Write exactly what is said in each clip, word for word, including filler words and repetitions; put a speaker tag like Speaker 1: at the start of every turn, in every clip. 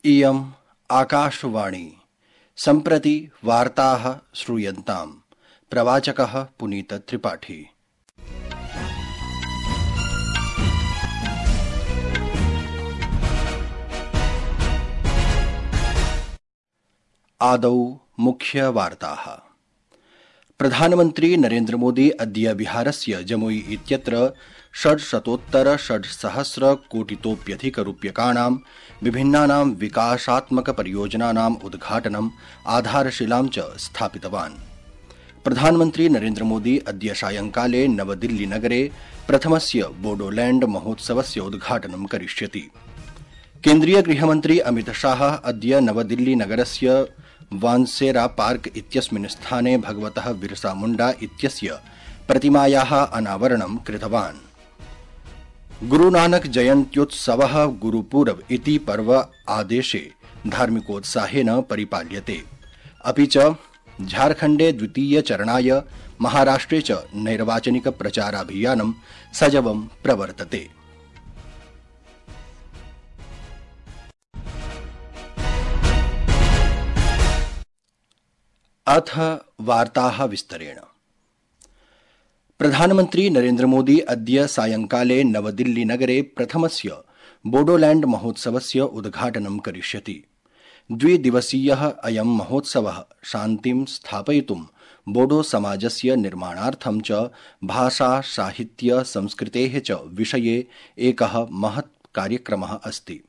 Speaker 1: इयम् आकाशवाणी सम्प्रति वार्ताः श्रूयन्ताम्। प्रवाचकः पुनीत त्रिपाठी। आदौ मुख्य वार्ताः। प्रधानमन्त्री नरेन्द्र मोदी अद्य बिहारस्य जमुई इत्यत्र षड्शतोत्तर षड्सहस्र कोटितोप्यधिक रूप्यकाणां विभिन्नानां विकासात्मक परियोजनानाम् उद्घाटनम् आधारशिलां च स्थापितवान्। प्रधानमन्त्री नरेन्द्र मोदी अद्य सायंकाले नवदिल्लीनगरे प्रथमस्य बोडोलैण्ड महोत्सवस्य उद्घाटनं करिष्यति। केन्द्रीय गृहमन्त्री अमित शाह अद्य नवदिल्लीनगरस्य वानसेरा पार्क इत्यस्मिन् स्थाने भगवतः बिरसा मुण्डा इत्यस्य प्रतिमायाः अनावरणं कृतवान्। गुरुनानक जयन्त्योत्सवः गुरुपूरब इति पर्व आदेशे धार्मिकोत्साहेन परिपाल्यते। अपि च झारखण्डे द्वितीय चरणाय महाराष्ट्रे च नैर्वाचनिक प्रचाराभियानं सजवं प्रवर्तते। अथ वार्ताः विस्तरेण। प्रधानमन्त्री नरेन्द्र मोदी अद्य सायंकाले नवदिल्लीनगरे प्रथमस्य बोडोलैण्ड महोत्सवस्य उद्घाटनं करिष्यति। द्विदिवसीयः अयं महोत्सवः शान्तिं स्थापयितुं बोडो समाजस्य निर्माणार्थं च भाषा साहित्य संस्कृतेः च विषये एकः महत् कार्यक्रमः अस्ति।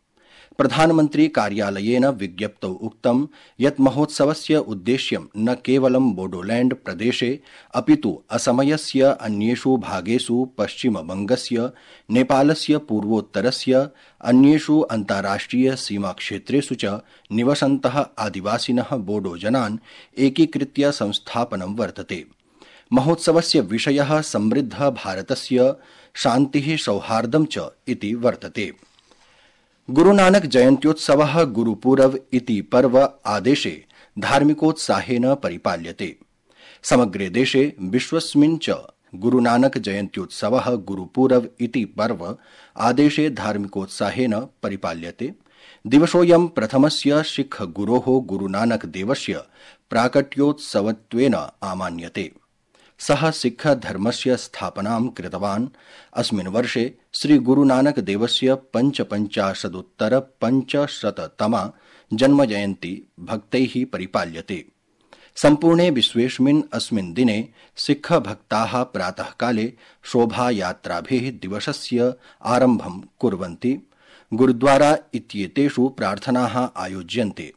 Speaker 1: प्रधानमन्त्री कार्यालयेन विज्ञप्तौ उक्तं यत् महोत्सवस्य उद्देश्यं न केवलं बोडोलैण्ड प्रदेशे अपितु असमयस्य अन्येषु भागेषु पश्चिमबंगस्य नेपालस्य पूर्वोत्तरस्य अन्येषु अन्ताराष्ट्रिय सीमाक्षेत्रेषु च निवसन्तः आदिवासिनः बोडो जनान् एकीकृत्य संस्थापनं वर्तते। महोत्सवस्य विषयः समृद्ध भारतस्य शान्तिः सौहार्दं च इति वर्तते। गुरुनानक जयन्त्योत्सवः गुरुपूरब इति पर्व आदेशे धार्मिकोत्साहेन परिपाल्यते। समग्रे देशे विश्वस्मिन् च गुरुनानक जयन्त्योत्सवः गुरुपूरब इति पर्व आदेशे धार्मिकोत्साहेन परिपाल्यते। दिवसोऽयं प्रथमस्य सिख गुरोः गुरुनानक देवस्य प्राकट्योत्सवत्वेन आमान्यते। सः सिख धर्मस्य स्थापनां कृतवान्। अस्मिन् वर्षे श्री गुरुनानक देवस्य पञ्चपञ्चाशदुत्तर पञ्चशततमा जन्मजयन्ती भक्तैः परिपाल्यते। सम्पूर्णे विश्वेस्मिन् अस्मिन् दिने सिख भक्ताः प्रातःकाले शोभायात्राभिः दिवसस्य आरम्भं कुर्वन्ति। गुरुद्वारा इत्येतेषु प्रार्थनाः आयोज्यन्ते।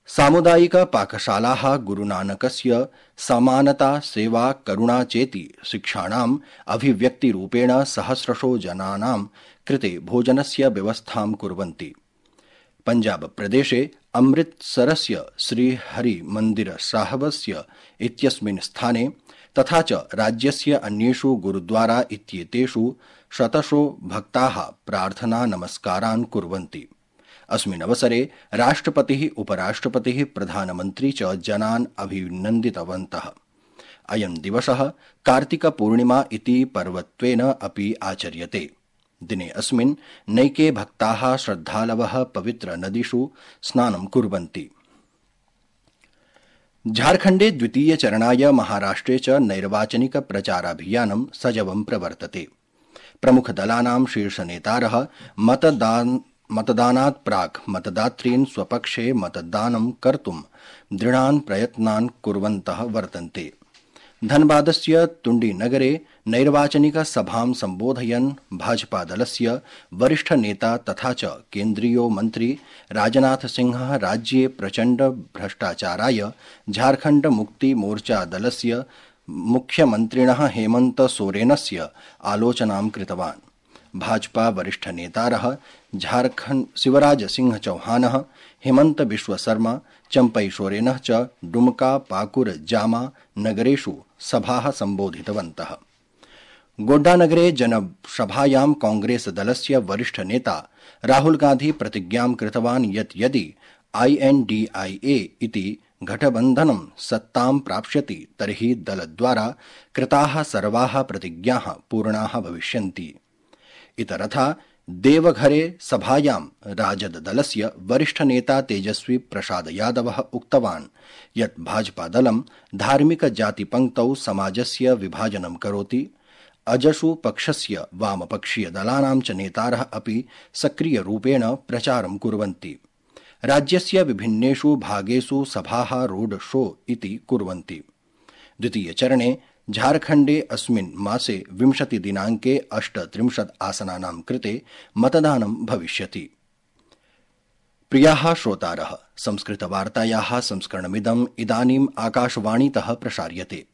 Speaker 1: सामुदायिक पाकशालाः गुरुनानकस्य समानता सेवा करुणा चेति शिक्षाणाम् अभिव्यक्तिरूपेण सहस्रशो जनानां कृते भोजनस्य व्यवस्थां कुर्वन्ति। पंजाब प्रदेशे अमृतसरस्य श्रीहरि मंदिर साहबस्य इत्यस्मिन् स्थाने तथा च राज्यस्य अन्येषु गुरुद्वारा इत्येतेषु शतशो भक्ताः प्रार्थना नमस्कारान् कुर्वन्ति। अस्मिन् अवसरे राष्ट्रपतिः उपराष्ट्रपतिः प्रधानमन्त्री च जनान् अभिनन्दितवन्तः। अयं दिवसः कार्तिकपूर्णिमा इति पर्वत्वेन अपि आचर्यते। दिने अस्मिन् नैके भक्ताः श्रद्धालवः पवित्र नदीषु स्नानं कुर्वन्ति। झारखण्डे द्वितीय चरणाय महाराष्ट्रे च नैर्वाचनिक प्रचाराभियानं सजवं प्रवर्तते। प्रमुखदलानां शीर्षनेतारः मतदान मतदानात् प्राक् मतदातॄन् स्वपक्षे मतदानं कर्तुं दृढान् प्रयत्नान् कुर्वन्तः वर्तन्ते। धनबादस्य तुण्डीनगरे नैर्वाचनिक सभां सम्बोधयन् भाजपादलस्य वरिष्ठ नेता तथा च केन्द्रीयो मन्त्री राजनाथ सिंहः राज्ये प्रचण्ड भ्रष्टाचाराय झारखण्ड मुक्ति मोर्चा दलस्य मुख्यमन्त्रिणः हेमन्त सोरेनस्य आलोचनां कृतवान्। भाजपा वरिष्ठ नेतारः झारखण्ड शिवराज सिंह चौहानः हेमंत बिश्व शर्मा चंपई सोरेनः च डुमका पाकुर जामा नगरेषु सभाः सम्बोधितवन्तः। गोड्डानगरे जनसभायां कांग्रेस दलस्य वरिष्ठ नेता राहुल गांधी प्रतिज्ञां कृतवान् यत् यदि आई एन डी आई ए इति गठबन्धनं सत्तां प्राप्स्यति तर्हि दलद्वारा कृताः सर्वाः प्रतिज्ञाः पूर्णाः भविष्यन्ति। इतरथा देवघरे सभायां राजददलस्य वरिष्ठनेता तेजस्वी प्रसाद यादवः उक्तवान् यत् भाजपादलं धार्मिक जातिपङ्क्तौ समाजस्य विभाजनं करोति। अजसु पक्षस्य वामपक्षीयदलानां च नेतारः अपि सक्रियरूपेण प्रचारं कुर्वन्ति। राज्यस्य विभिन्नेषु भागेषु सभाः रोड शो इति कुर्वन्ति। द्वितीयचरणे झारखण्डे अस्मिन् मासे विंशति दिनाङ्के अष्टत्रिंशत् आसनानां कृते मतदानं भविष्यति। प्रियाः श्रोतारः, संस्कृतवार्तायाः संस्करणमिदम् इदानीम् आकाशवाणीतः प्रसार्यते।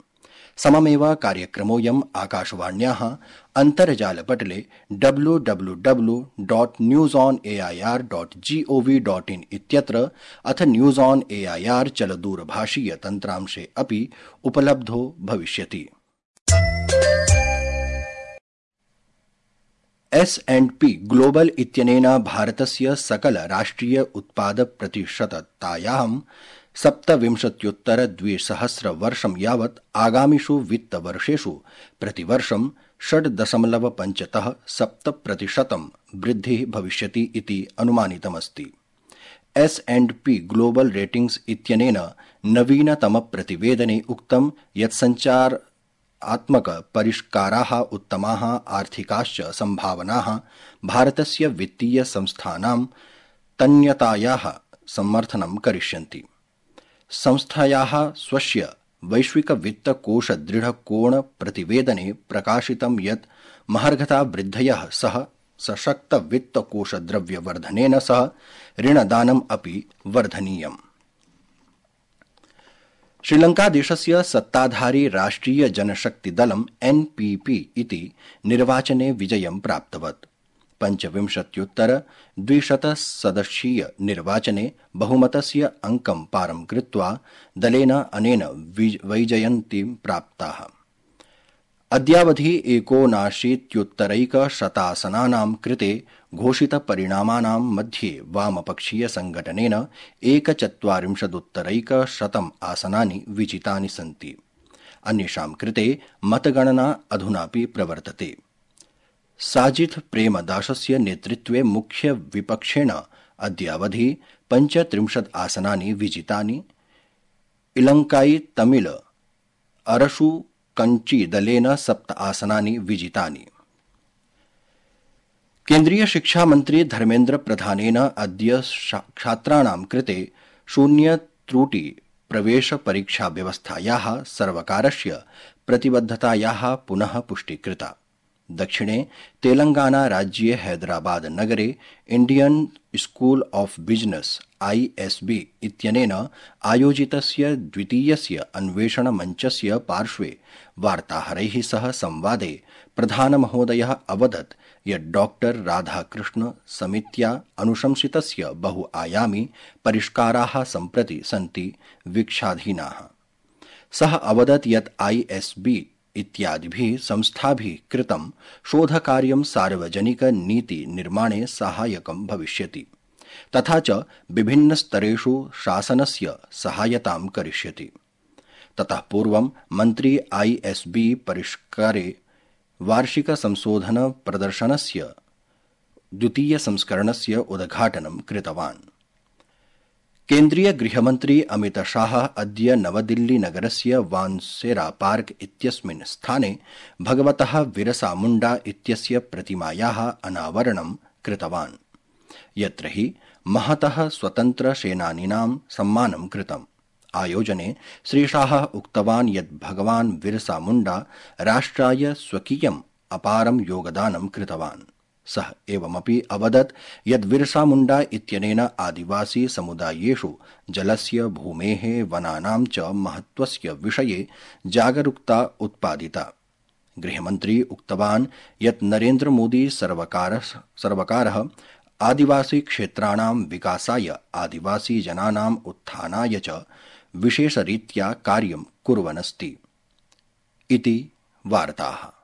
Speaker 1: सममेव कार्यक्रमोऽयम् आकाशवाण्याः अन्तर्जालपटले W W W dot news on A I R dot GOV dot in इत्यत्र अथ news on A I R चलदूरभाषीय तन्त्रांशे अपि उपलब्धो भविष्यति। एस् एण्ड् पी ग्लोबल इत्यनेन भारतस्य सकल राष्ट्रिय उत्पाद प्रतिशततायां सप्तविंशत्युत्तर द्विसहस्र वर्षं यावत् आगामिषु वित्तवर्षेषु प्रतिवर्षं षड् दशमलव पञ्चतः सप्त प्रतिशतं वृद्धिः भविष्यति इति अनुमानितमस्ति। S and P global ratings इत्यनेन नवीनतमप्रतिवेदने उक्तं यत् सञ्चारात्मक परिष्काराः उत्तमाः आर्थिकाश्च सम्भावनाः भारतस्य वित्तीय संस्थानां तन्यतायाः समर्थनं करिष्यन्ति। संस्थायाः स्वस्य वैश्विक वित्तकोष दृढकोण प्रतिवेदने प्रकाशितं यत् महार्घता वृद्धयः सह सशक्त वित्तकोष द्रव्यवर्धनेन सह ऋणदानम् अपि वर्धनीयम्। श्रीलंकादेशस्य सत्ताधारी राष्ट्रिय जनशक्तिदलम् एन् पी पी इति निर्वाचने विजयं प्राप्तवत्। पञ्चविंशत्युत्तर द्विशत सदस्यीय निर्वाचने बहुमतस्य अंकं पारं कृत्वा दलेन अनेन वैजयन्तीं प्राप्ताः। अद्यावधि एकोनाशीत्युत्तरैकशतासनानां कृते घोषितपरिणामानां मध्ये वामपक्षीय संघटनेन एकचत्वारिंशदुत्तरैकशतम् आसनानि विजितानि सन्ति। अन्येषां कृते मतगणना अधुनापि प्रवर्तते। साजिद प्रेमदासस्य नेतृत्वे मुख्य विपक्षेण अद्यावधि पञ्चत्रिंशत् आसनानि विजितानि। इलंकाई तमिल अरसु कंची दलेन सप्त आसनानि विजितानि। केन्द्रीय शिक्षा मन्त्री धर्मेन्द्र प्रधानेन अद्य छात्राणां कृते शून्य त्रुटि प्रवेश परीक्षा व्यवस्थायाः सर्वकारस्य प्रतिबद्धतायाः पुनः पुष्टि कृता। दक्षिणे तेलंगाना राज्ये हैदराबाद नगरे Indian School of Business I S B इत्यनेन आयोजितस्य द्वितीयस्य अन्वेषण मञ्चस्य पार्श्वे वार्ताहरैः सह संवादे प्रधानमहोदयः अवदत् यत् डॉक्टर राधाकृष्ण समित्या अनुशंसितस्य बहुआयामी परिष्काराः सम्प्रति सन्ति वीक्षाधीनाः। सः अवदत् यत् आई एस बी इत्यादिभिः संस्थाभिः कृतं शोधकार्यं सार्वजनिक नीति निर्माणे सहायकं भविष्यति तथा च विभिन्नस्तरेषु शासनस्य सहायतां करिष्यति। ततः पूर्वं मन्त्री आई एस बी परिष्कारे वार्षिक संशोधन प्रदर्शनस्य द्वितीय संस्करणस्य उद्घाटनं कृतवान्। केन्द्रीय गृहमन्त्री अमित शाह अद्य नवदिल्ली नगरस्य वानसेरा पार्क इत्यस्मिन् स्थाने भगवतः बिरसा मुण्डा इत्यस्य प्रतिमायाः अनावरणं कृतवान्, यत्र हि महतः स्वतन्त्र सेनानीनां सम्मानं कृतम्। आयोजने श्रीशाह उक्तवान् यत् भगवान् बिरसा मुण्डा राष्ट्राय स्वकीयम् अपारं योगदानं कृतवान्। सः एवमपि अवदत् यत् बिरसा मुण्डा इत्यनेन आदिवासी समुदायेषु जलस्य, भूमेः, वनानां च महत्त्वस्य विषये जागरूकता उत्पादिता। गृहमन्त्री उक्तवान् यत् नरेन्द्र मोदी सर्वकारः सर्वकारः आदिवासी क्षेत्राणां विकासाय, आदिवासी जनानाम् उत्थानाय च विशेषरीत्या कार्यं कुर्वन्नस्ति इति वार्ताः।